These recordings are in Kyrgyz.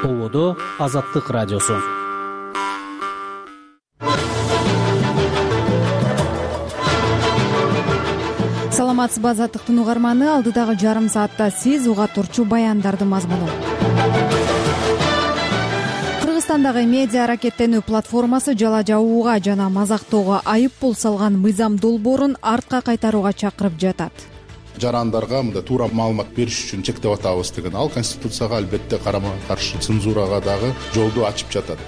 Ободо Азаттык радиосу. Саламатсызбы, Азаттыктын угарманы. Алдыдагы жарым саатта сиз уга турчу баяндардын мазмуну. Кыргызстандагы медиа аракеттенүү платформасы жала жабууга жана мазактоого айып пул салган мыйзам долбоорун артка кайтарууга чакырып жатат. Жарандарга мындай туура маалымат бериш үчүн чектеп атабыз деген ал Конституцияга албетте карама каршы цензурага дагы жолду ачып жатат.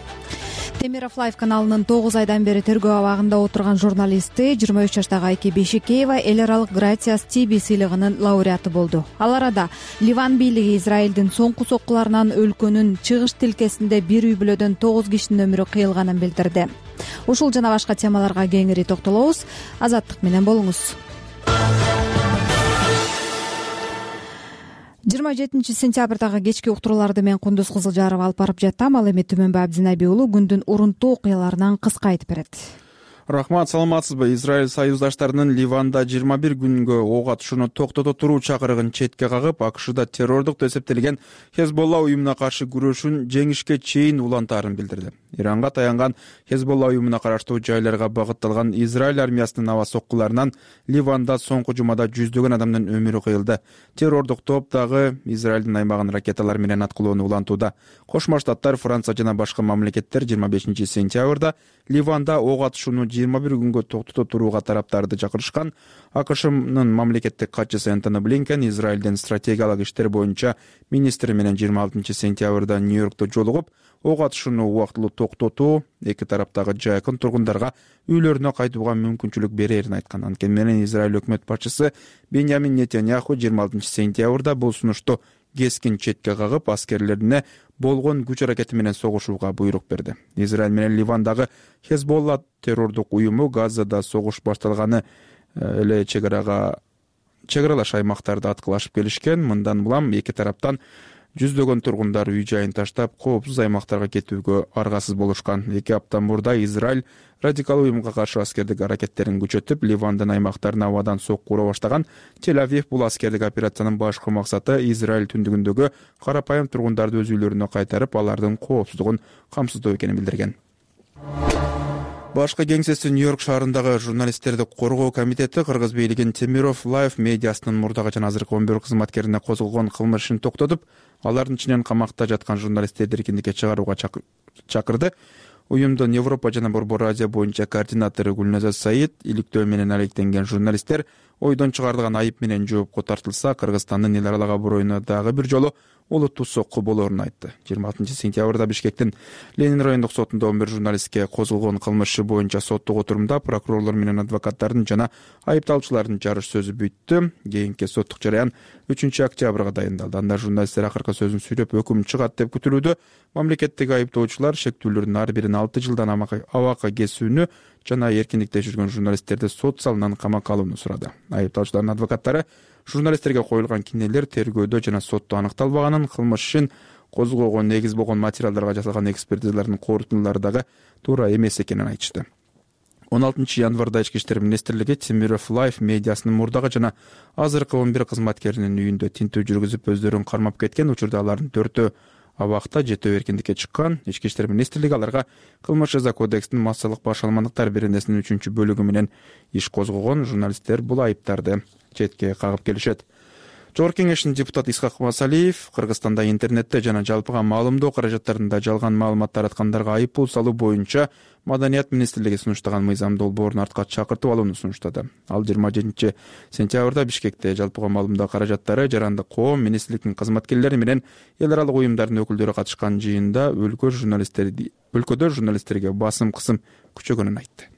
Темиров Лайв каналынын 9 айдан бери тергөө абагында отурган журналисти 23 жаштагы Айке Бейшекеева эл аралык Грациас ТВ сыйлыгынын лауреаты болду. Ал арада Ливан бийлиги Израилдин соңку соккуларынан өлкөнүн чыгыш тилкесинде бир үй бүлөдөн 9 кишинин өмүрү кыйылганын билдирди. Ушул жана башка темаларга кеңири токтолобуз. Азаттык менен болуңуз. 27 сентябрдагы кечки уктурууларды мен Кундуз Кызылжарова алып барып жаттым. Ал эми Түмөнбай Абдинайби уулу күндүн урунттуу окуяларынан кыска айтып берет. Рахмат, саламатсызбы? Израиль союздаштарынын Ливанда 21 күнгө ок атышууну токтото туруу чакырыгын четке кагып, АКШда террордук деп эсептелген Хезболла уюмуна каршы күрөшүүн жеңишке чейин улантаарын билдирди. Иранга таянган Хезболла уюмуна караштуу жайларга багытталган Израиль армиясынын аба соккуларынан Ливанда соңку жумада жүздөгөн адамдын өмүрү кыйылды. Террордук топ дагы Израилдин аймагын ракеталар менен аткылоону улантууда. Кошмо Штаттар, Франция жана башка мамлекеттер 25 сентябрда Ливанда ок атышууну 21 күнгө токтото турууга тараптарды чакырышкан. АКШнын мамлекеттик катчысы Энтони Блинкен Израилдин стратегиялык иштер боюнча министри менен 26 сентябрда Нью-Йоркто жолугуп, ок атышууну убактылуу токтотуу эки тараптагы жакын тургундарга үйлөрүнө кайтууга мүмкүнчүлүк берерин айткан. Анткени менен Израиль өкмөт башчысы Беньямин Нетаньяху 26 сентябрда бул сунушту кескин четке кагып, аскерлерине болгон күч аракети менен согушууга буйрук берди. Израиль менен Ливандагы Хезболла террордук уюму Газада согуш башталганы эле чегаралаш аймактарды аткылашып келишкен. Мындан булам эки тараптан жүздөгөн тургундар үй жайын таштап, коопсуз аймактарга кетүүгө аргасыз болушкан. 2 апта мурда Израиль радикал уюмга каршы аскердик аракеттерин күчөтүп, Ливандын аймактарын абадан сокку ура баштаган. Тель-Авив бул аскердик операциянын башкы максаты Израиль түндүгүндөгү карапайым тургундарды өз үйлөрүнө кайтарып, алардын коопсуздугун камсыздоо экенин билдирген. Башкы кеңсеси Нью-Йорк шаарындагы журналисттерди коргоо комитети Кыргыз бийлигин Темиров Лайв медиасынын мурдагы жана азыркы 11 кызматкерине козголгон кылмыш ишин токтотуп, алардын ичинен камакта жаткан журналисттерди эркиндикке чыгарууга чакырды. Уюмдун Европа жана Борбор Азия боюнча координатору Гүлназар Саид иликтөө менен алектенген журналисттер ойдон чыгарылган айып менен жоопко тартылса, Кыргызстандын эл аралык аброюна дагы бир жолу олуттуу сокку болоорун айтты. 26 сентябрда Бишкектин Ленин райондук сотунда 11 журналистке козголгон кылмыш иши боюнча соттук отурумда прокурорлор менен адвокаттардын жана айыпталуучулардын жарыш сөзү бүттү. Кийинки соттук жараян 3 октябрга дайындалды. Анда журналисттер акыркы сөзүн сүйлөп, өкүм чыгат деп күтүлүүдө. Мамлекеттик айыптоочулар шектүүлөрдүн ар бирин 6 жылдан абакка кесүүнү жана эркиндикте жүргөн журналисттерди сот залынан камакка алууну сурады. Айыпталуучулардын адвокаттары журналисттерге коюлган кинелер тергөөдө жана сотто аныкталбаганын, кылмыш ишин козгоого негиз болгон материалдарга жасалган экспертизалардын корутундулары дагы туура эмес экенин айтышты. 16 январда Ички иштер министрлиги Темиров Лайв медиасынын мурдагы жана азыркы 11 кызматкеринин үйүндө тинтүү жүргүзүп, өздөрүн кармап кеткен. Учурда алардын 4-өө абакта, 7-өө эркиндикке чыккан. Ички иштер министрлиги аларга кылмыш жаза кодексинин массалык башаламандыктар беренесинин 3-бөлүгү менен иш козгогон. Журналисттер бул айыптарды четке кагып келишет. Жогорку кеңештин депутаты Исхак Масалиев Кыргызстанда интернетте жана жалпыга маалымдоо каражаттарында жалган маалымат тараткандарга айып пул салуу боюнча Маданият министрлиги сунуштаган мыйзам долбоорун артка чакыртып алууну сунуштады. Ал 27 сентябрда Бишкекте жалпыга маалымдоо каражаттары, жарандык коом, министрликтин кызматкерлери менен эл аралык уюмдардын өкүлдөрү катышкан жыйында өлкөдө журналисттерге басым кысым күчөгөнүн айтты.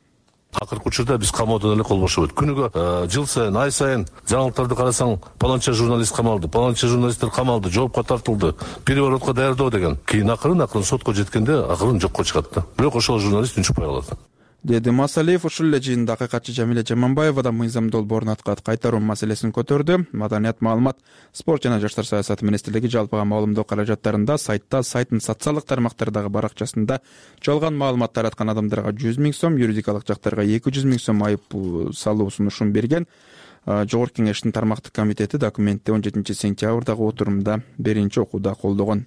Акыркы учурда биз камоодон эле кол бошобойт. Күнүгө жыл сайын, ай сайын жаңылыктарды карасаң, паланча журналист камалды, паланча журналисттер камалды, жоопко тартылды, переворотко даярдоо деген. Кийин акырын сотко жеткенде акырын жокко чыгат да. Бирок ошол журналист үнчүпай калат. Деди Масалиев. Ушул эле жыйында акыйкатчы Жамиле Жаманбаева да мыйзам долбоорун артка кайтаруу маселесин көтөрдү. Маданият, маалымат, спорт жана жаштар саясаты министрлиги жалпыга маалымдоо каражаттарында сайттын социалдык тармактардагы баракчасында жалган маалымат тараткан адамдарга 100 000 сом, юридикалык жактарга 200 000 сом айып салуу сунушун берген. Жогорку кеңештин тармактык комитети документти 17 сентябрдагы отурумда биринчи окууда колдогон.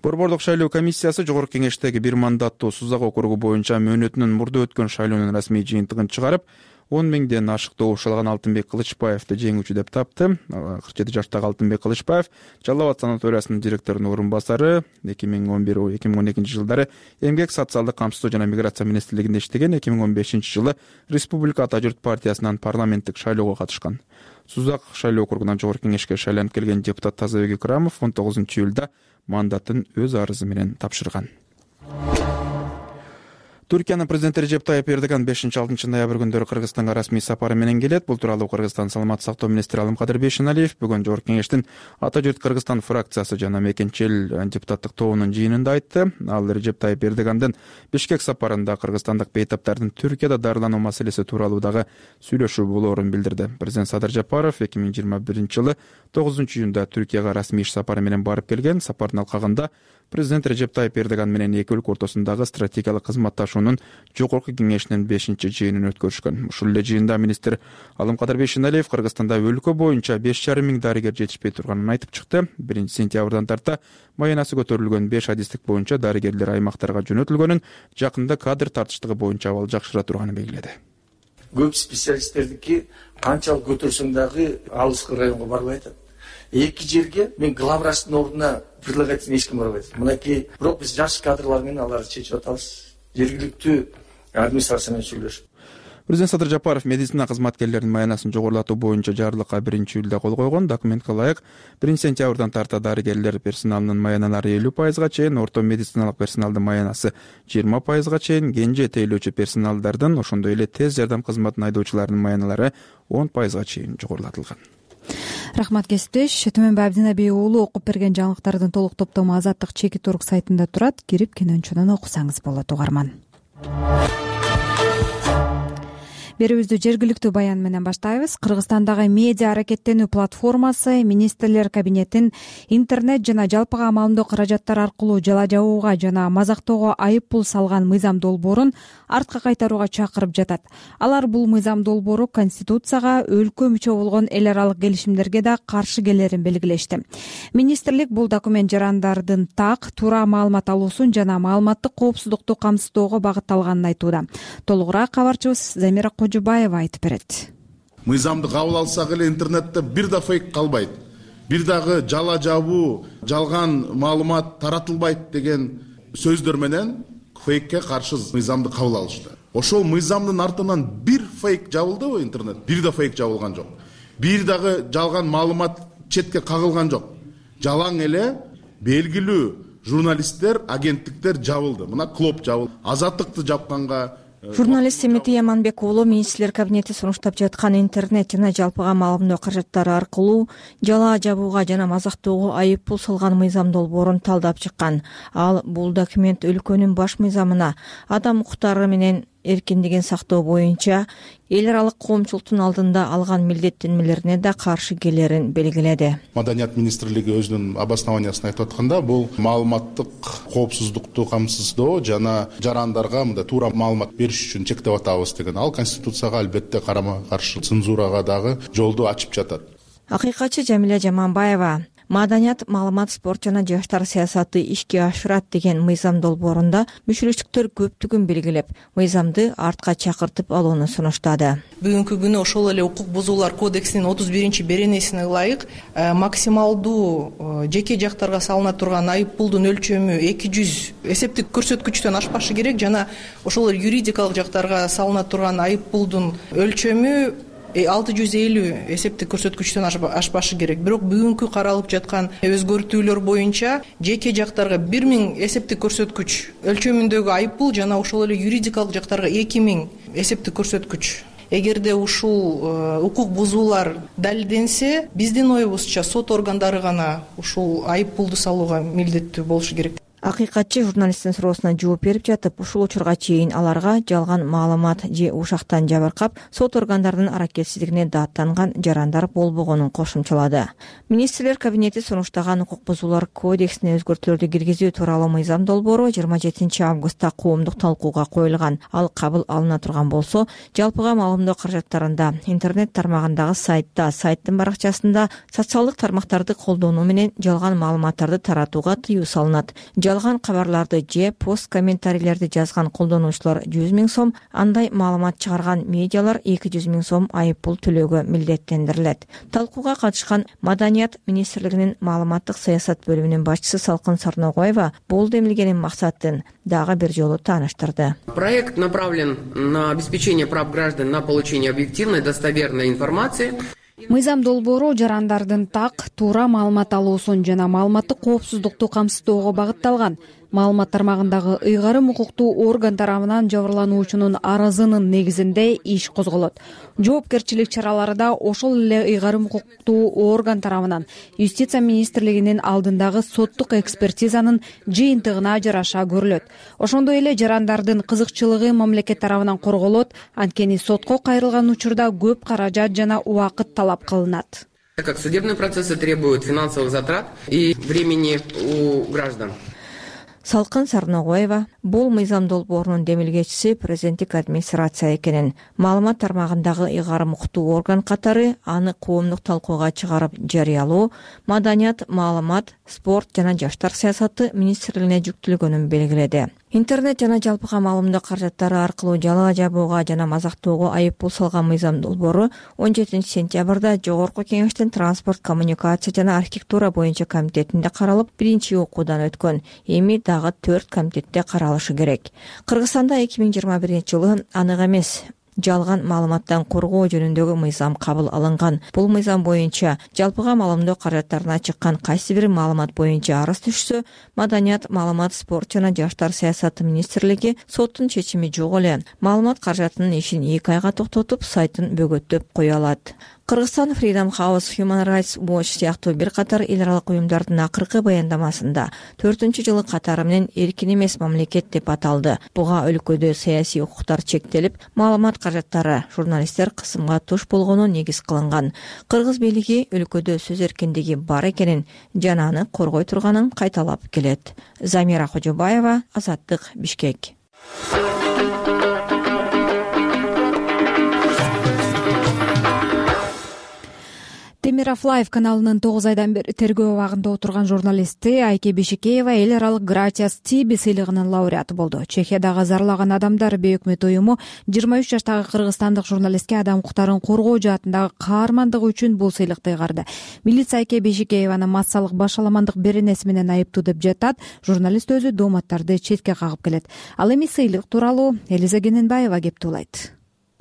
Борбордук шайлоо комиссиясы жогорку кеңештеги бир мандаттуу Сузак округу боюнча мөөнөтүнүн мурда өткөн шайлоонун расмий жыйынтыгын чыгарып, 10 миңден ашык добуш алган Алтынбек Кылычбаевди жеңүүчү деп тапты. 47 жаштагы Алтынбек Кылычбаев Жалал Абад санаториясынын директорунун орун басары, 2011-2012 жылдары Эмгек социалдык камсыздоо жана миграция министрлигинде иштеген, 2015 жылы Республика Ата журт партиясынан парламенттик шайлоого катышкан. Сузак шайлоо округунан жогорку кеңешке шайланып келген депутат Тазабек Икрамов 19 июлда мандатын өз арызы менен тапшырган. Түркиянын президенти Режеп Тайып Эрдоган 5-6 ноябрь күндөрү Кыргызстанга расмий сапары менен келет. Бул тууралуу Кыргызстан саламаттык сактоо министри Алымкадыр Бейшеналиев бүгүн жогорку кеңештин Ата журт Кыргызстан фракциясы жана мекенчил депутаттык тобунун жыйынында айтты. Ал Режеп Тайып Эрдогандын Бишкек сапарында кыргызстандык бейтаптардын Түркияда дарылануу маселеси тууралуу дагы сүйлөшүү болоорун билдирди. Президент Садыр Жапаров 2021 жылы 9 июнда Түркияга расмий иш сапары менен барып келген. Сапардын алкагында президент Режеп Тайып Эрдоган менен эки өлкө ортосундагы стратегиялык кызматташуунун жогорку кеңешинин 5-жыйынын өткөрүшкөн. Ушул эле жыйында министр Алымкадыр Бейшеналиев Кыргызстанда өлкө боюнча 5,5 миң дарыгер жетишпей турганын айтып чыкты. 1 сентябрдан тарта маянасы көтөрүлгөн 5 адистик боюнча дарыгерлер аймактарга жөнөтүлгөнүн, жакында кадр тартыштыгы боюнча абал жакшыра турганын белгиледи. Көп специалисттердики канчалык көтөрсөң дагы алыскы районго барбай атат. Эки жерге мен главврачтын ордуна предлагательный эч ким барбайт. Мынакей бирок биз жаш кадрлар менен аларды чечип атабыз. Жергиликтүү администрация менен сүйлөшүп. Президент Садыр Жапаров медицина кызматкерлеринин маянасын жогорулатуу боюнча жарлыкка 1 июлда кол койгон. Документке ылайык 1 сентябрдан тарта дарыгерлер персоналынын маяналары 50%га чейин, орто медициналык персоналдын маянасы 20%га чейин, кенже тейлөөчү персоналдардын, ошондой эле тез жардам кызматынын айдоочуларынын маяналары 10%га чейин жогорулатылган. Рахмат кесиптеш. Төмөнбай Абдинабий уулу окуп берген жаңылыктардын толук топтому Азаттык Чеки.орг сайтында турат. Кирип кинончунан окусаңыз болот, угарман. Берүүбүздү жергиликтүү баян менен баштайбыз. Кыргызстандагы медиа аракеттенүү платформасы министрлер кабинетин интернет жана жалпыга маалымдоо каражаттары аркылуу жала жабууга жана мазактоого айып пул салган мыйзам долбоорун артка кайтарууга чакырып жатат. Алар бул мыйзам долбоору Конституцияга, өлкө мүчө болгон эл аралык келишимдерге да каршы келерин белгилешти. Министрлик бул документ жарандардын так, туура маалымат алуусун жана маалыматтык коопсуздукту камсыздоого багытталганын айтууда. Толугураак кабарчыбыз Замира Кожубаева айтып берет. Мыйзамды кабыл алсак эле интернетте бир да фейк калбайт, бир дагы жала жабуу, жалган маалымат таратылбайт деген сөздөр менен фейкке каршы мыйзамды кабыл алышты. Ошол мыйзамдын артынан бир фейк жабылдыбы интернет? Бир да фейк жабылган жок. Бир дагы жалган маалымат четке кагылган жок. Жалаң эле белгилүү журналисттер, агенттиктер жабылды. Мына Клоп жабылды. Азаттыкты жапканга Журналист Семетий Яманбек уулу министрлер кабинети сунуштап жаткан интернет жана жалпыга маалымдоо каражаттары аркылуу жала жабууга жана мазактоого айып пул салган мыйзам долбоорун талдап чыккан. Ал бул документ өлкөнүн баш мыйзамына, адам укуктары менен эркиндигин сактоо боюнча эл аралык коомчулуктун алдында алган милдеттенмелерине да каршы келерин белгиледи. Маданият министрлиги өзүнүн обоснованиясын айтып атканда, бул маалыматтык коопсуздукту камсыздоо жана жарандарга мындай туура маалымат бериш үчүн чектеп атабыз деген. Ал Конституцияга албетте карама каршы, цензурага дагы жолду ачып жатат. Акыйкатчы Жамиля Жаманбаева маданият, маалымат, спорт жана жаштар саясаты ишке ашырат деген мыйзам долбоорунда мүчүлүштүктөр көптүгүн белгилеп, мыйзамды артка чакыртып алууну сунуштады. Бүгүнкү күнү ошол эле укук бузуулар кодексинин 31-беренесине ылайык максималдуу жеке жактарга салына турган айып пулдун өлчөмү 200 эсептик көрсөткүчтөн ашпашы керек жана ошол юридикалык жактарга салына турган айып пулдун өлчөмү 650 эсептик көрсөткүчтөн ашпашы керек. Бирок бүгүнкү каралып жаткан өзгөртүүлөр боюнча жеке жактарга 1000 эсептик көрсөткүч өлчөмүндөгү айып пул жана ошол эле юридикалык жактарга 2000 эсептик көрсөткүч. Эгерде ушул укук бузуулар далилденсе, биздин оюбузча сот органдары гана ушул айып пулду салууга милдеттүү болушу керек. Акыйкатчы журналисттин суроосуна жооп берип жатып, ушул учурга чейин аларга жалган маалымат же ушактан жабыркап, сот органдарынын аракетсиздигине даттанган жарандар болбогонун кошумчалады. Министрлер кабинети сунуштаган укук бузуулар кодексине өзгөртүүлөрдү киргизүү тууралуу мыйзам долбоору 27 августта коомдук талкууга коюлган. Ал кабыл алына турган болсо, жалпыга маалымдоо каражаттарында, интернет тармагындагы сайтта, сайттын баракчасында социалдык тармактарды колдонуу менен жалган маалыматтарды таратууга тыюу салынат. Жалган кабарларды же пост комментарийлерди жазган колдонуучулар 100 000 сом, андай маалымат чыгарган медиалар 200 000 сом айып пул төлөөгө милдеттендирилет. Талкууга катышкан Маданият министрлигинин маалыматтык саясат бөлүмүнүн башчысы Салкын Сарногоева бул демилгенин максатын дагы бир жолу тааныштырды. Проект направлен на обеспечение прав граждан на получение объективной, достоверной информации. Мыйзам долбоору жарандардын так, туура маалымат алуусун жана маалыматтык коопсуздукту камсыздоого багытталган. Маалымат тармагындагы ыйгарым укуктуу орган тарабынан жабырлануучунун арызынын негизинде иш козголот. Жоопкерчилик чаралары да ошол эле ыйгарым укуктуу орган тарабынан Юстиция министрлигинин алдындагы соттук экспертизанын жыйынтыгына жараша көрүлөт. Ошондой эле жарандардын кызыкчылыгы мамлекет тарабынан корголот, анткени сотко кайрылган учурда көп каражат жана убакыт талап кылынат. Так как судебные процессы требуют финансовых затрат и времени у граждан. Салкын Сарногоева бул мыйзам долбоорунун демилгечиси президенттик администрация экенин, маалымат тармагындагы ыйгарым укуктуу орган катары аны коомдук талкууга чыгарып жарыялоо Маданият, маалымат, спорт жана жаштар саясаты министрлигине жүктөлгөнүн белгиледи. Интернет жана жалпыга маалымдоо каражаттары аркылуу жалаа жабууга жана мазактоого айып пул салган мыйзам долбоору 17 сентябрда Жогорку Кеңештин транспорт, коммуникация жана архитектура боюнча комитетинде каралып, биринчи окуудан өткөн. Эми дагы 4 комитетте каралышы керек. Кыргызстанда 2021-жылы анык эмес жалган маалыматтан коргоо жөнүндөгү мыйзам кабыл алынган. Бул мыйзам боюнча жалпыга маалымдоо каражаттарына чыккан кайсы бир маалымат боюнча арыз түшсө, Маданият, маалымат, спорт жана жаштар саясаты министрлиги соттун чечими жок эле маалымат каражатынын ишин 2 айга токтотуп, сайтын бөгөттөп кое алат. Кыргызстан Freedom House, Human Rights Watch сыяктуу бир катар эл аралык уюмдардын акыркы баяндамасында 4-жылы катары менен эркин эмес мамлекет деп аталды. Буга өлкөдө саясий укуктар чектелип, маалымат каражаттары, журналисттер кысымга туш болгону негиз кылынган. Кыргыз бийлиги өлкөдө сөз эркиндиги бар экенин жана аны коргой турганын кайталап келет. Замира Кожобаева, Азаттык, Бишкек. Темиров Лайв каналынын 9 айдан бери тергөө абагында отурган журналисти Айке Бешекеева эл аралык Гратиас Тиби сыйлыгынын лауреаты болду. Чехиядагы зарлаган адамдар бейөкмөт уюму 23 жаштагы кыргызстандык журналистке адам укуктарын коргоо жаатындагы каармандыгы үчүн бул сыйлыкты ыйгарды. Милиция Айке Бешекееваны массалык башаламандык беренеси менен айыптуу деп жатат. Журналист өзү дооматтарды четке кагып келет. Ал эми сыйлык тууралуу Элиза Кененбаева кептуулайт.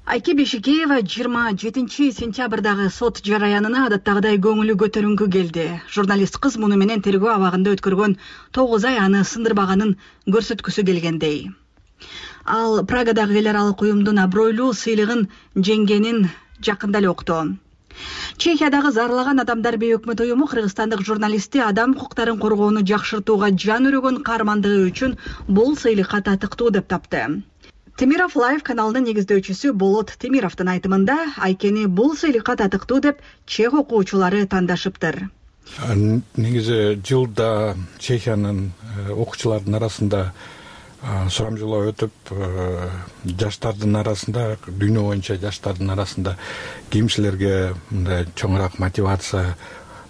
Айке Бешекеева 27 сентябрдагы сот жараянына адаттагыдай көңүлү көтөрүнгү келди. Журналист кыз муну менен тергөө абагында өткөргөн 9 ай аны сындырбаганын көрсөткүсү келгендей. Ал Прагадагы эл аралык уюмдун абройлуу сыйлыгын жеңгенин жакында эле укту. Чехиядагы зарлаган адамдар бейөкмөт уюму кыргызстандык журналисти адам укуктарын коргоону жакшыртууга жан өрөгөн каармандыгы үчүн бул сыйлыкка татыктуу деп тапты. Темиров Лайв каналынын негиздөөчүсү Болот Темировдун айтымында Айкени бул сыйлыкка татыктуу деп чех окуучулары тандашыптыр. Негизи жылда Чехиянын окуучулардын арасында сурамжылоо өтүп, жаштардын арасында, дүйнө боюнча жаштардын арасында кимчилерге мындай чоңураак мотивация,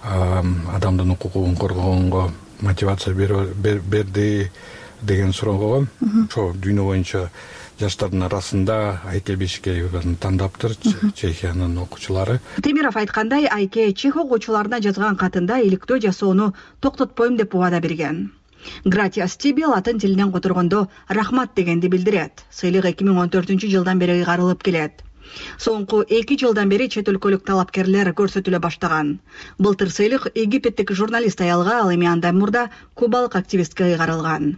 адамдын укугун коргогонго мотивация берди деген суроого, ошо дүйнө боюнча жаштардын арасында Айке Бешекееваны тандаптыр Чехиянын окуучулары. Темиров айткандай, Айке чех окуучуларына жазган катында иликтөө жасоону токтотпойм деп убада берген. Гратиас Тиби латын тилинен которгондо рахмат дегенди билдирет. Сыйлык 2014 жылдан бери ыйгарылып келет. Соңку 2 жылдан бери чет өлкөлүк талапкерлер көрсөтүлө баштаган. Былтыр сыйлык египеттик журналист аялга, ал эми андан мурда кубалык активистке ыйгарылган.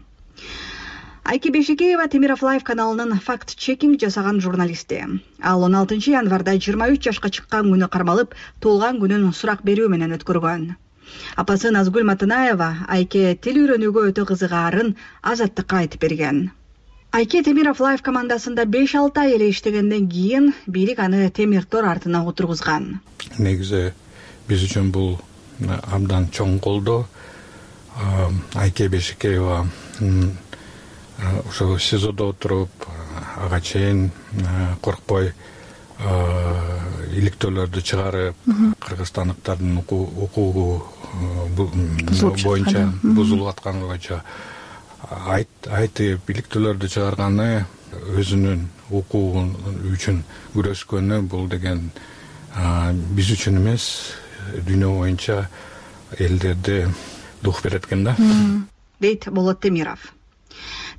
Айке Бешекеева Темиров Лайв каналынын факт-чекинг жасаган журналисти. Ал 16 январда 23 жашка чыккан күнү кармалып, туулган күнүн сурак берүү менен өткөргөн. Апасы Назгүл Матанаева Айке тил үйрөнүүгө өтө кызыгаарын Азаттыкка айтып берген. Айке Темиров Лайф командасында 5-6 ай эле иштегенден кийин бийлик аны темир тор артына отургузган. Негизи биз үчүн бул абдан чоң колдоо. Айке Бешикеева ошо СИЗОдо отуруп, ага чейин коркпой иликтөөлөрдү чыгарып, кыргызстандыктардын укугу боюнча бузулуп атканы боюнча айтып иликтөөлөрдү чыгарганы, өзүнүн укугу үчүн күрөшкөнү, бул деген биз үчүн эмес, дүйнө боюнча элдерде дух берет экен да, дейт Болот Темиров.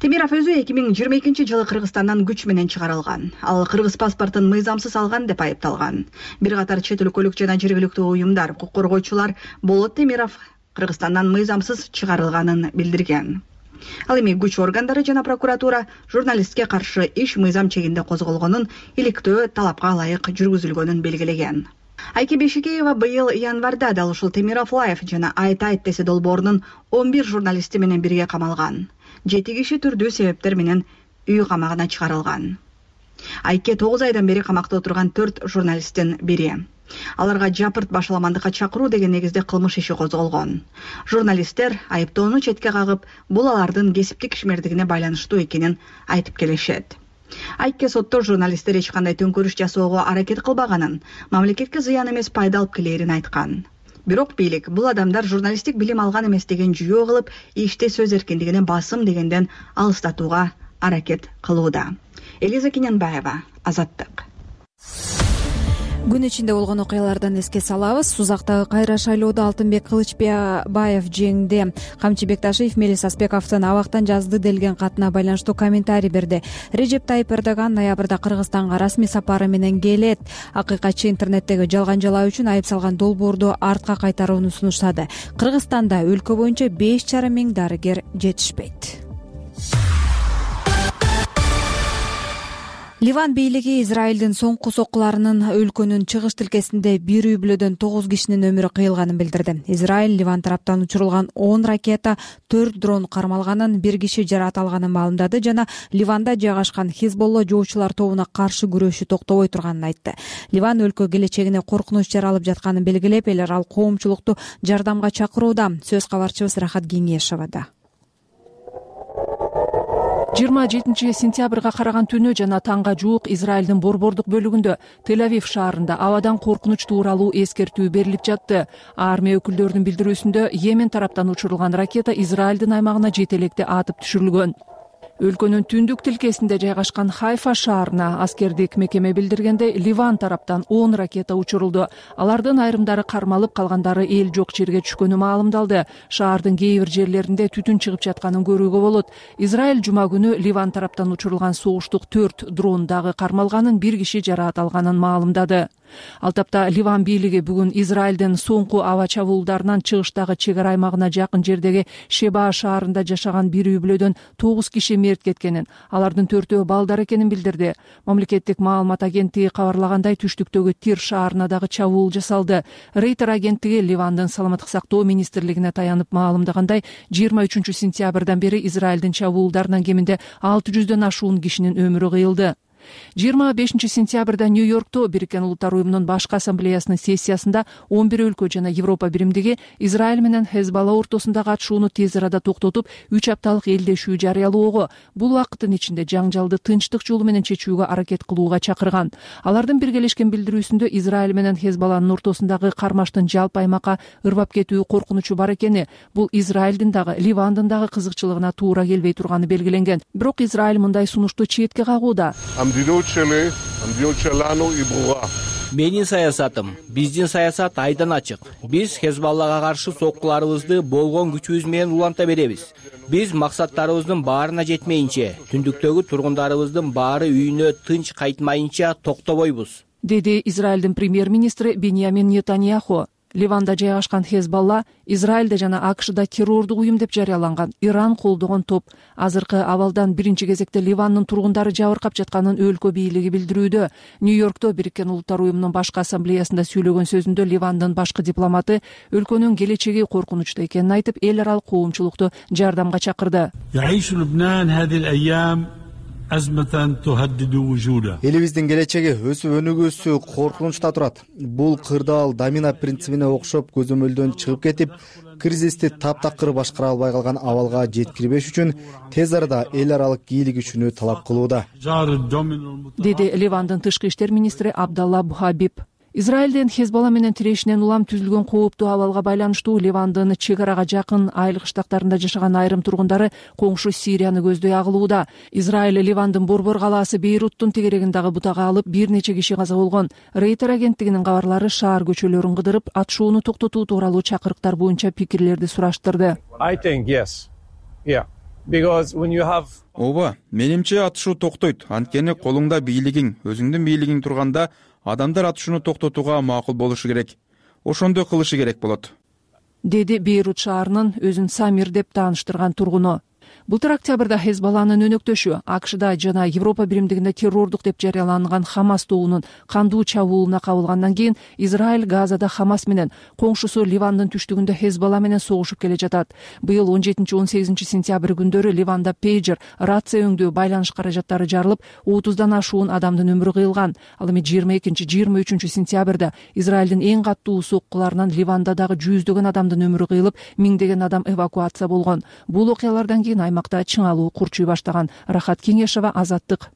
Темиров өзү 2022-жылы Кыргызстандан күч менен чыгарылган. Ал кыргыз паспортун мыйзамсыз алган деп айыпталган. Бир катар чет өлкөлүк жана жергиликтүү уюмдар, укук коргоочулар Болот Темиров Кыргызстандан мыйзамсыз чыгарылганын билдирген. Ал эми күч органдары жана прокуратура журналистке каршы иш мыйзам чегинде козголгонун, иликтөө талапка ылайык жүргүзүлгөнүн белгилеген. Айке Бешикеева быйыл январда дал ушул Темиров Лайф жана Айт десе долбоорунун 11 журналисти менен бирге камалган. 7 киши түрдүү себептер менен үй камагына чыгарылган. Айке 9 айдан бери камакта отурган 4 журналисттин бири. Аларга жапырт башаламандыкка чакыруу деген негизде кылмыш иши козголгон. Журналисттер айыптоону четке кагып, бул алардын кесиптик ишмердигине байланыштуу экенин айтып келишет. Айке сотто журналисттер эч кандай төңкөрүш жасоого аракет кылбаганын, мамлекетке зыян эмес пайда алып келерин айткан. Бирок бийлик бул адамдар журналисттик билим алган эмес деген жүйө кылып, иште сөз эркиндигине басым дегенден алыстатууга аракет кылууда. Элиза Кененбаева, Азаттык. Күн ичинде болгон окуялардан эске салабыз. Сузактагы кайра шайлоодо Алтынбек Кылычбаев жеңди. Камчы Бекташиев Мелис Аспековдун абактан жазды делген катына байланыштуу комментарий берди. Режеп Тайып Эрдоган ноябрда Кыргызстанга расмий сапары менен келет. Акыйкатчы интернеттеги жалган жалаа үчүн айып салган долбоорду артка кайтарууну сунуштады. Кыргызстанда өлкө боюнча 5,5 миң дарыгер жетишпейт. Ливан бийлиги Израилдин соңку соккуларынын өлкөнүн чыгыш тилкесинде бир үй бүлөдөн 9 кишинин өмүрү кыйылганын билдирди. Израиль Ливан тараптан учурулган 10 ракета, 4 дрон кармалганын, 1 киши жаракат алганын маалымдады жана Ливанда жайгашкан Хизболла жоочулар тобуна каршы күрөшү токтобой турганын айтты. Ливан өлкө келечегине коркунуч жаралып жатканын белгилеп, эл аралык коомчулукту жардамга чакырууда. Сөз кабарчыбыз Рахат Кеңешевада. 27 сентябрга караган түнү жана таңга жуук Израилдин борбордук бөлүгүндө Тель-Авив шаарында абадан коркунуч тууралуу эскертүү берилип жатты. Армия өкүлдөрүнүн билдирүүсүндө Йемен тараптан учурулган ракета Израилдин аймагына жетелекте атып түшүрүлгөн. Өлкөнүн түндүк тилкесинде жайгашкан Хайфа шаарына аскердик мекеме билдиргенде Ливан тараптан 10 ракета учурулду. Алардын айрымдары кармалып, калгандары эл жок жерге түшкөнү маалымдалды. Шаардын кээ бир жерлеринде түтүн чыгып жатканын көрүүгө болот. Израиль жума күнү Ливан тараптан учурулган согуштук 4 дрон дагы кармалганын, 1 киши жаракат алганын маалымдады. Ал тапта Ливан бийлиги бүгүн Израилдин соңку аба чабуулдарынан чыгыштагы чек ара аймагына жакын жердеги Шеба шаарында жашаган бир үй бүлөдөн 9 киши мерт кеткенин, алардын 4-өө балдар экенин билдирди. Мамлекеттик маалымат агенттиги кабарлагандай, түштүктөгү Тир шаарына дагы чабуул жасалды. Рейтер агенттиги Ливандын саламаттык сактоо министрлигине таянып маалымдагандай, 23 сентябрдан бери Израилдин чабуулдарынан кеминде 600дөн ашуун кишинин өмүрү кыйылды. 25 сентябрда Нью-Йоркто Бириккен Улуттар уюмунун башкы ассамблеясынын сессиясында 11 өлкө жана Европа биримдиги Израиль менен Хезболла ортосундагы атышууну тез арада токтотуп, 3 апталык элдешүү жарыялоого, бул убакыттын ичинде жаңжалды тынчтык жолу менен чечүүгө аракет кылууга чакырган. Алардын биргелешкен билдирүүсүндө Израиль менен Хезболланын ортосундагы кармаштын жалпы аймакка ырбап кетүү коркунучу бар экени, бул Израилдин дагы Ливандын дагы кызыкчылыгына туура келбей турганы белгиленген. Бирок Израиль мындай сунушту четке кагууда. Менин саясатым, биздин саясат айдан ачык. Биз Хезболлага каршы соккуларыбызды болгон күчүбүз менен уланта беребиз. Биз максаттарыбыздын баарына жетмейинче, түндүктөгү тургундарыбыздын баары үйүнө тынч кайтмайынча токтобойбуз, деди Израилдин премьер-министри Беньямин Нетаньяху. Ливанда жайгашкан Хезбалла Израилде жана АКШда террордук уюм деп жарыяланган Иран колдогон топ. Азыркы абалдан биринчи кезекте Ливандын тургундары жабыркап жатканын өлкө бийлиги билдирүүдө. Нью-Йоркто Бириккен Улуттар уюмунун башкы ассамблеясында сүйлөгөн сөзүндө Ливандын башкы дипломаты өлкөнүн келечеги коркунучта экенин айтып, эл аралык коомчулукту жардамга чакырды. Элибиздин келечеги, өсүп өнүгүүсү коркунучта турат. Бул кырдаал домино принцибине окшоп көзөмөлдөн чыгып кетип, кризисти таптакыр башкара албай калган абалга жеткирбеш үчүн тез арада эл аралык бийлик күчүнү талап кылууда, деди Ливандын тышкы иштер министри Абдалла Бухабиб. Израилден Хезбалла менен тирешинен улам түзүлгөн кооптуу абалга байланыштуу Ливандын чек арага жакын айылык штаттарында жашаган айрым тургундары коңшу Сирияны көздөй агылууда. Израиль Ливандын борбор калаасы Бейруттун тегерегин дагы бутага алып, бир нече киши каза болгон. Рейтер агенттигинин кабарлары шаар көчөлөрүн кыдырып, атышууну токтотуу тууралуу чакырыктар боюнча пикирлерди сураштырды. Ооба, менимче атышуу токтойт. Анткени колуңда бийлигиң, өзүңдүн бийлигиң турганда адамдар атышууну токтотууга макул болушу керек. Ошондой кылышы керек болот, деди Бейрут шаарынын өзүн Самир деп тааныштырган тургуну. Былтыр октябрда Хезбалланын өнөктөшү АКШда жана Европа биримдигинде террордук деп жарыяланган Хамас тобунун кандуу чабуулуна кабылгандан кийин Израиль Газада Хамас менен, коңшусу Ливандын түштүгүндө Хезбалла менен согушуп келе жатат. Быйыл 17-18 сентябрь күндөрү Ливанда пейджер, рация өңдөө байланыш каражаттары жарылып, 30дан ашуун адамдын өмүрү кыйылган. Ал эми 22-23 сентябрда Израилдин эң каттуу соккуларынан Ливанда дагы жүздөгөн адамдын өмүрү кыйылып, миңдеген адам эвакуация болгон. Бул окуялардан кийин аймакта чыңалуу курчуй баштаган. Рахат Кеңешова, Азаттык.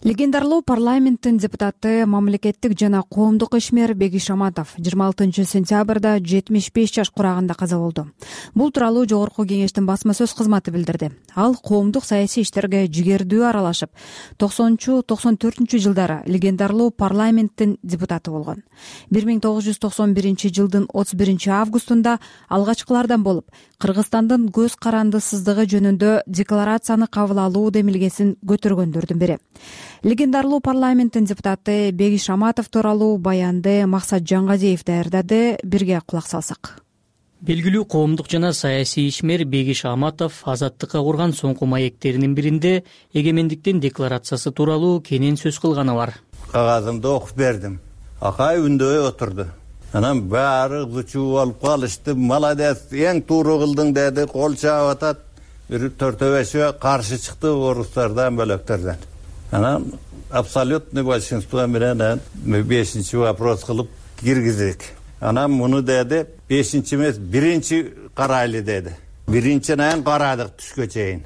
Легендарлуу парламенттин депутаты, мамлекеттик жана коомдук ишмер Бегиш Аматов 26 сентябрда 75 жаш курагында каза болду. Бул тууралуу Жогорку Кеңештин басма сөз кызматы билдирди. Ал коомдук саясий иштерге жигердүү аралашып, 90-94 жылдары легендарлуу парламенттин депутаты болгон. 1991 жылдын 31 августунда алгачкылардан болуп, Кыргызстандын көз карандысыздыгы жөнүндө декларацияны кабыл алуу демилгесин көтөргөндөрдүн бири. Легендарлуу парламенттин депутаты Бегиш Аматов тууралуу баянды Максат Жангазиев даярдады. Бирге кулак салсак. Белгилүү коомдук жана саясий ишмер Бегиш Аматов Азаттыкка курган соңку маектеринин биринде эгемендиктин декларациясы тууралуу кенен сөз кылганы бар. Кагазымды окуп бердим. Акай үндөй отурду. Анан баары зучуу болуп калышты. Молодец, эң туура кылдың деди, кол чаап атат. Бир төртөбешөө каршы чыкты орустардан, бөлөктөрдөн. Анан абсолютный большинство менен 5-чи вопрос кылып киргиздик. Анан муну деди, 5-чи эмес, 1-чи карайлы деди. 1-чинен карадык түшкө чейин.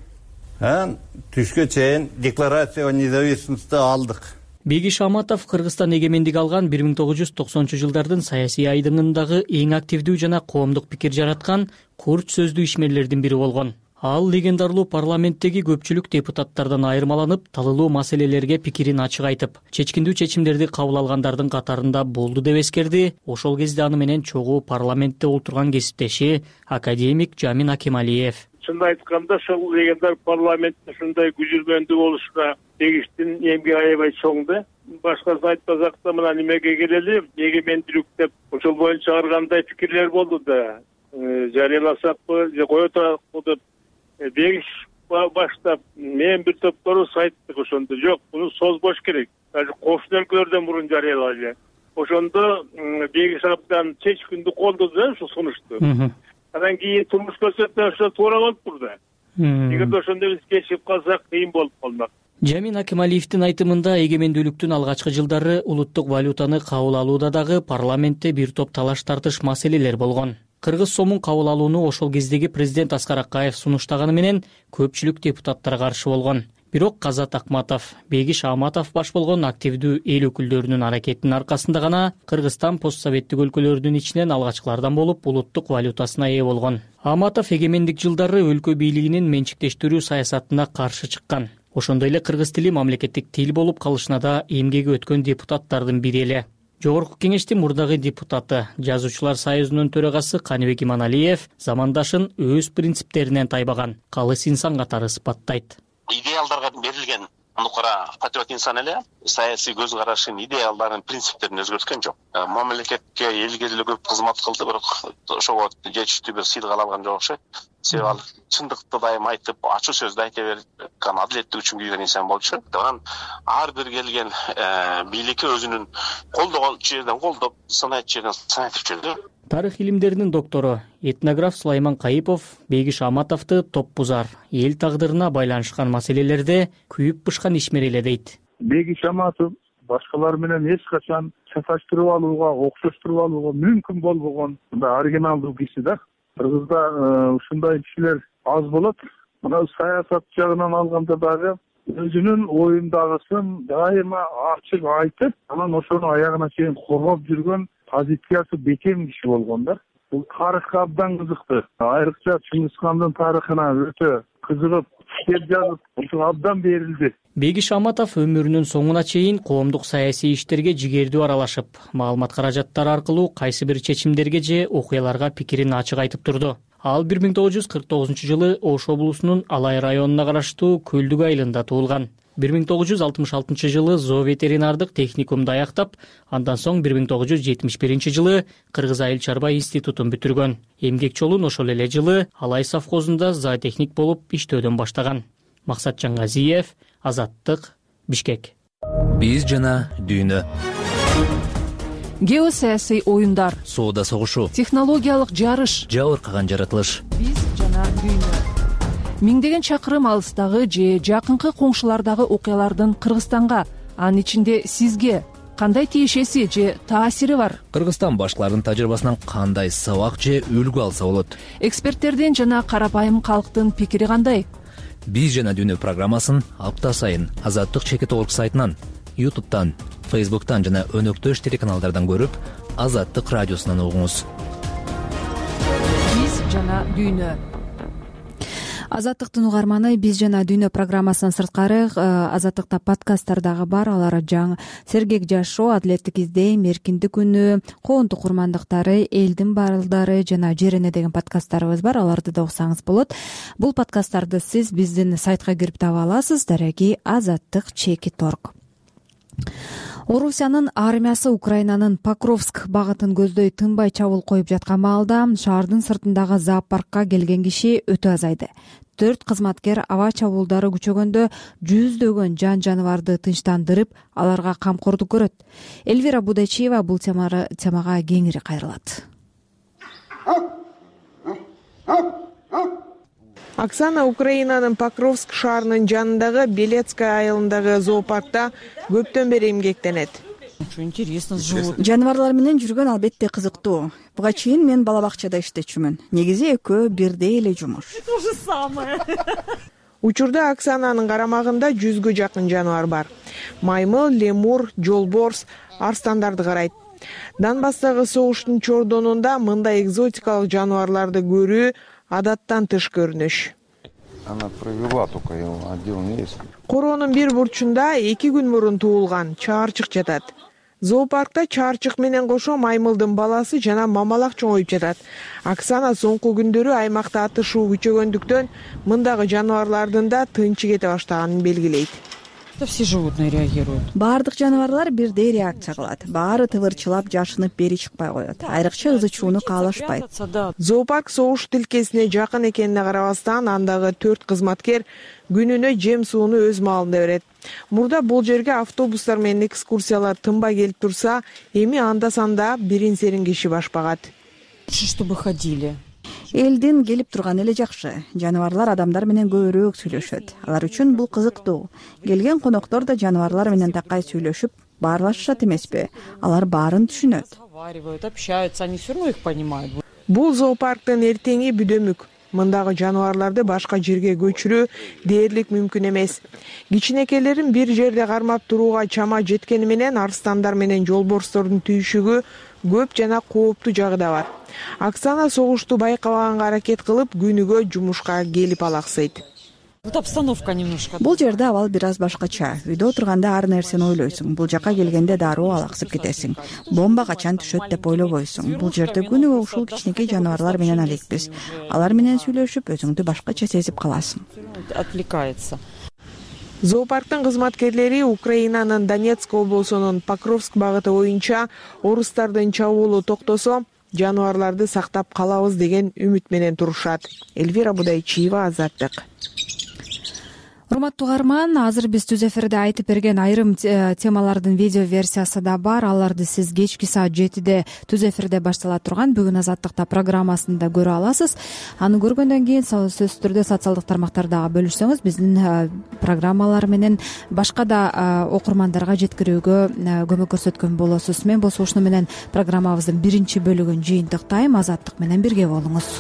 Анан түшкө чейин декларация о независимости алдык. Бегиш Аматов Кыргызстан эгемендик алган 1990-жылдардын саясий айдыңындагы эң активдүү жана коомдук пикир жараткан курч сөздүү ишмерлердин бири болгон. Ал легендарлуу парламенттеги көпчүлүк депутаттардан айырмаланып, талылуу маселелерге пикирин ачык айтып, чечкиндүү чечимдерди кабыл алгандардын катарында болду деп эскерди. Ошол кезде аны менен чогуу парламентте отурган кесиптеши академик Жамин Акималиев. Чынын айтканда, ошол легендар парламентте ушундай күзүлгөндүү болушуна Бегиштин эмгеги аябай чоң да. Башкасын айтпасак да, мына немеге келели, эгемендүүлүк деп ошол боюнча чыгаргандай пикирлер болду да. Жарыяласакпы, же кое туракпы деп Бегиш баштап мен бир топторубуз айттык ошондо. Жок, муну созбош керек. Даже кошуна өлкөлөрдөн мурун жарыялайлы. Ошондо Бегиш абдан чечкиндүү колдоду да ушул сунушту. Анан кийин турмуш көрсөтмө ошо туура болуп турду. Эгерде ошондо биз кечип калсак кыйын болуп калмак. Жамин Акималиевдин айтымында эгемендүүлүктүн алгачкы жылдары улуттук валютаны кабыл алууда дагы парламентте бир топ талаш тартыш маселелер болгон. Кыргыз сомун кабыл алууну ошол кездеги президент Аскар Акаев сунуштаганы менен көпчүлүк депутаттар каршы болгон. Бирок Казат Акматов, Бегиш Аматов баш болгон активдүү эл өкүлдөрүнүн аракетинин аркасында гана Кыргызстан постсоветтик өлкөлөрдүн ичинен алгачкылардан болуп улуттук валютасына ээ болгон. Аматов эгемендик жылдары өлкө бийлигинин менчиктештирүү саясатына каршы чыккан. Ошондой эле кыргыз тили мамлекеттик тил болуп калышына да эмгеги өткөн депутаттардын бири эле. Жогорку Кеңештин мурдагы депутаты, Жазуучулар союзунун төрагасы Каныбек Иманалиев замандашын өз принциптеринен тайбаган, калыс инсан катары сыпаттайт. Идеалдарга берилген Андыкара патриот инсан эле саясий көз карашын, идеалдарын, принциптерин өзгөрткөн жок. Мамлекетке, элге деле көп кызмат кылды, бирок ошого жетиштүү бир сыйдык ала алган жок окшойт. Себеби ал чындыкты дайым айтып, ачуу сөздү айта берип, адилеттик үчүн күйгөн инсан болчу. Анан ар бир келген бийликке өзүнүн колдогон жерден колдоп, сынайт жерден сынайтып жүрдү. Тарых илимдеринин доктору, этнограф Сулайман Кайыпов Бейгиш Аматовду топпузар, эл тагдырына байланышкан маселелерде күйүп-бышкан ишмер эле дейт. Бейгиш Аматов башкалар менен эч качан чаташтырып алууга, окшоштуруп алууга мүмкүн болбогон оригиналдуу киши да. Кыргызда ушундай кишилер аз болот. Мына саясат жагынан алганда дагы өзүнүн оюндагысын дайыма ачык айтып, анан ошону аягына чейин коргоп жүргөн позициясы бекем киши болгон да. Бул тарыхка абдан кызыктуу. Айрыкча Чыңгызхандын тарыхына өтө кызыгып, китеп жазып, ошого абдан берилди. Бейгиш Аматов өмүрүнүн соңуна чейин коомдук саясий иштерге жигердүү аралашып, маалымат каражаттары аркылуу кайсы бир чечимдерге же окуяларга пикирин ачык айтып турду. Ал 1949-жылы Ош облусунун Алай районуна караштуу Көлдүк айылында туулган. 1966-жылы зооветеринардык техникумду аяктап, андан соң 1971-жылы Кыргыз айыл чарба институтун бүтүргөн. Эмгек жолун ошол эле жылы Алай совхозунда зоотехник болуп иштөөдөн баштаган. Максат Жаңгазиев, Азаттык, Бишкек. Биз жана дүйнө. Геосаясий оюндар, соода согушу, технологиялык жарыш, жабыркаган жаратылыш. Биз жана дүйнө. Миңдеген чакырым алыстагы же жакынкы коңшулардагы окуялардын Кыргызстанга, анын ичинде сизге кандай тиешеси же таасири бар? Кыргызстан башкалардын тажрыйбасынан кандай сабак же үлгү алса болот? Эксперттердин жана карапайым калктын пикири кандай? Биз жана дүйнө программасын апта сайын Азаттык ЧК.org сайтынан, YouTube'тан, Facebook'тан жана өнөктөш телеканалдардан көрүп, Азаттык радиосунан угуңуз. Биз жана дүйнө. Азаттыктын угарманы, биз жана дүйнө программасынан сырткары Азаттыкта подкасттар дагы бар. Алар сергек жашоо, адилеттик издейм, эркиндик күнү, коомдук курмандыктары, элдин балдары жана жерене деген подкасттарыбыз бар. Аларды да уксаңыз болот. Бул подкасттарды сиз биздин сайтка кирип таба аласыз. Дареги Азаттык ЧК.org. Орусиянын армиясы Украинанын Покровск багытын көздөй тынбай чабуул коюп жаткан маалда шаардын сыртындагы зоопаркка келген киши өтө азайды. 4 кызматкер аба чабуулдары күчөгөндө жүздөгөн жан-жаныбарды тынчтандырып, аларга камкордук көрөт. Эльвира Будачиева бул темага кеңири кайрылат. Оксана Украинанын Покровск шаарынын жанындагы Белецкая айылындагы зоопаркта көптөн бери эмгектенет. Жаныбарлар менен жүргөн албетте кызыктуу. Буга чейин мен бала бакчада иштечүмүн. Негизи экөө бирдей эле жумуш. Учурда Оксананын карамагында 100гө жакын жаныбар бар. Маймыл, лемур, жолборс, арстандарды карайт. Донбасстагы согуштун чордонунда мындай экзотикалык жаныбарларды көрүү адаттан тыш көрүнүш. Она провела только его отдел есть. Короонун бир бурчунда 2 күн мурун туулган чаарчык жатат. Зоопаркта чаарчык менен кошо маймылдын баласы жана мамалак чоңоюп жатат. Оксана соңку күндөрү аймакта атышуу күчөгөндүктөн мындагы жаныбарлардын да тынчы кете баштаганын белгилейт. Все животные реагируют. Баардык жаныбарлар бирдей реакция кылат. Баары тывырчылап, жашынып бери чыкпай коет. Айрыкча ызычууну каалашпайт. Зоопарк согуш тилкесине жакын экенине карабастан, андагы 4 кызматкер күнүнө жем сууну өз маалында берет. Мурда бул жерге автобустар менен экскурсиялар тынбай келип турса, эми анда-санда бирин-серин киши башпагат. Чтобы ходили. Элдин келип турганы эле жакшы. Жаныбарлар адамдар менен көбүрөөк сүйлөшөт. Алар үчүн бул кызыктуу. Келген коноктор да жаныбарлар менен такай сүйлөшүп, баарлашышат эмеспи? Алар баарын түшүнөт. Общаются, они всё равно их понимают. Бул зоопарктын эртеңи бүдөмүк. Мындагы жаныбарларды башка жерге көчүрүү дээрлик мүмкүн эмес. Кичинекелерин бир жерде кармап турууга чама жеткени менен арстандар менен жолборстордун түйшүгү көп жана кооптуу жагы да бар. Оксана согушту байкабаганга аракет кылып, күнүгө жумушка келип алаксыйт. Обстановка немножко. Бул жерде абал бир аз башкача. Үйдө отурганда ар нерсени ойлойсуң. Бул жака келгенде дароо алаксып кетесиң. Бомба качан түшөт деп ойлобойсуң. Бул жерде күнүгө ушул кичинекей жаныбарлар менен алекпиз. Алар менен сүйлөшүп, өзүңдү башкача сезип каласың. Отвлекается. Зоопарктын кызматкерлери Украинанын Донецк облусунун Покровск багыты боюнча орустардын чабуулу токтосо, жаныбарларды сактап калабыз деген үмүт менен турушат. Эльвира Будайчиева, Азаттык. Урматтуу угарман, азыр биз түз эфирде айтып берген айрым темалардын видео версиясы да бар. Аларды сиз кечки саат 7-де түз эфирде баштала турган Бүгүн Азаттыкта программасында көрө аласыз. Аны көргөндөн кийин сөзсүз түрдө социалдык тармактарда бөлүшсөңүз, биздин программалар менен башка да окурмандарга жеткирүүгө көмөк көрсөткөн болосуз. Мен болсо ушуну менен программабыздын биринчи бөлүгүн жыйынтыктайм. Азаттык менен бирге болуңуз.